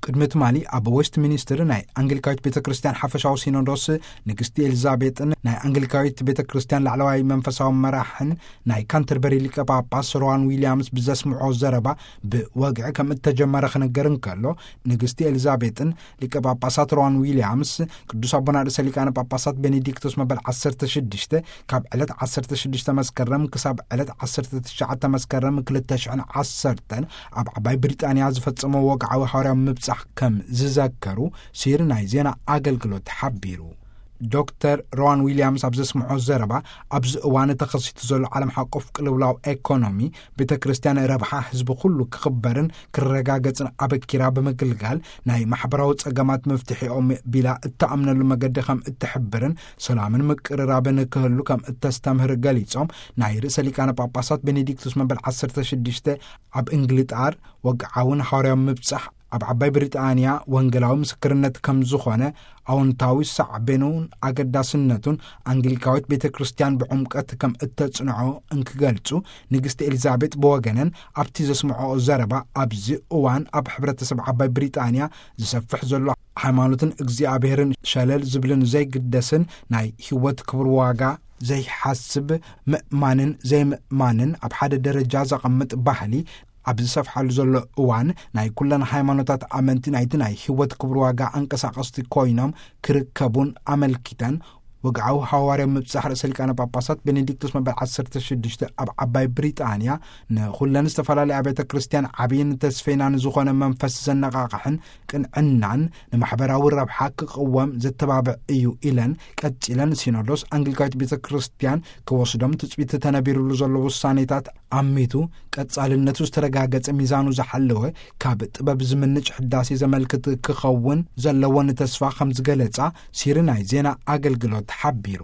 ቅድሚ ትማሊ ኣብ ዌስት ሚኒስትር ናይ ኣንግሊካዊት ቤተ ክርስቲያን ሓፈሻዊ ሲኖዶስ፣ ንግስቲ ኤልዛቤጥን ናይ ኣንግሊካዊት ቤተ ክርስቲያን ላዕለዋይ መንፈሳዊ መራሕን ናይ ካንተርበሪ ሊቀ ጳጳስ ሮዋን ዊልያምስ ብዘስምዖ ዘረባ ብወግዒ ከም እተጀመረ ክነገር እንከሎ፣ ንግስቲ ኤልዛቤጥን ሊቀ ጳጳሳት ሮዋን ዊልያምስ ቅዱስ ኣቦና ርእሰ ሊቃነ ጳጳሳት ቤኔዲክቶስ መበል ዓሰርተ ሽዱሽተ ካብ ዕለት ዓሰርተ ሽዱሽተ መስከረም ክሳብ ዕለት ዓሰርተ ትሽዓተ መስከረም ክልተ ሽሕን ዓሰርተን ኣብ ዓባይ ብሪጣንያ ዝፈጸሞ ወግዓዊ ሃዋርያዊ ምብጻሕ ከም ዝዘከሩ ሲሪ ናይ ዜና ኣገልግሎት ሓቢሩ። ዶክተር ሮዋን ዊልያምስ ኣብ ዘስምዖ ዘረባ፣ ኣብዚ እዋን ተኸሲቱ ዘሎ ዓለም ሓቆፍ ቅልውላው ኤኮኖሚ፣ ቤተ ክርስቲያን ረብሓ ህዝቢ ኩሉ ክኽበርን ክረጋገጽን ኣበኪራ ብምግልጋል፣ ናይ ማሕበራዊ ጸገማት መፍትሒኦም ቢላ እተኣምነሉ መገዲ ከም እትሕብርን ሰላምን ምቅርራብን ክህሉ ከም እተስተምህር ገሊጾም፣ ናይ ርእሰ ሊቃነ ጳጳሳት ቤኔዲክቱስ መበል ዓሰርተ ሽዱሽተ ኣብ እንግሊጣር ወግዓውን ሃዋርያዊ ምብጻሕ ኣብ ዓባይ ብሪጣንያ ወንጌላዊ ምስክርነት ከም ዝኾነ፣ ኣወንታዊ ሳዕቤኑን ኣገዳስነቱን ኣንግሊካዊት ቤተ ክርስቲያን ብዕምቀት ከም እተጽንዖ እንክገልጹ፣ ንግስቲ ኤሊዛቤጥ ብወገነን ኣብቲ ዘስምዖ ዘረባ፣ ኣብዚ እዋን ኣብ ሕብረተሰብ ዓባይ ብሪጣንያ ዝሰፍሕ ዘሎ ሃይማኖትን እግዚኣብሔርን ሸለል ዝብልን ዘይግደስን ናይ ህይወት ክብር ዋጋ ዘይሓስብ ምእማንን ዘይምእማንን ኣብ ሓደ ደረጃ ዘቐምጥ ባህሊ ኣብ ዝሰፍሓሉ ዘሎ እዋን፣ ናይ ኩለን ሃይማኖታት ኣመንቲ ናይቲ ናይ ህይወት ክብር ዋጋ ኣንቀሳቐስቲ ኮይኖም ክርከቡን ኣመልኪተን፣ ወግዓዊ ሃዋርያዊ ምብጻሕ ርእሰ ሊቃነ ጳጳሳት ቤኔዲክቶስ መበል ዓሰርተ ሽዱሽተ ኣብ ዓባይ ብሪጣንያ ንኹለን ዝተፈላለያ ቤተ ክርስቲያን ዓብይን ተስፈይናን ዝኾነ መንፈስ ዘነቓቕሕን ቅንዕናን ንማሕበራዊ ረብሓ ክቕወም ዘተባብዕ እዩ ኢለን፣ ቀጺለን ሲኖዶስ ኣንግሊካዊት ቤተ ክርስቲያን ክወስዶም ትጽቢት ተነቢሩሉ ዘሎ ውሳኔታት ኣሚቱ ቀጻልነቱ ዝተረጋገጸ፣ ሚዛኑ ዝሓለወ፣ ካብ ጥበብ ዝምንጭ ሕዳሴ ዘመልክት ክኸውን ዘለወን ተስፋ ከም ዝገለጻ ሲሪ ናይ ዜና ኣገልግሎት ሓቢሩ።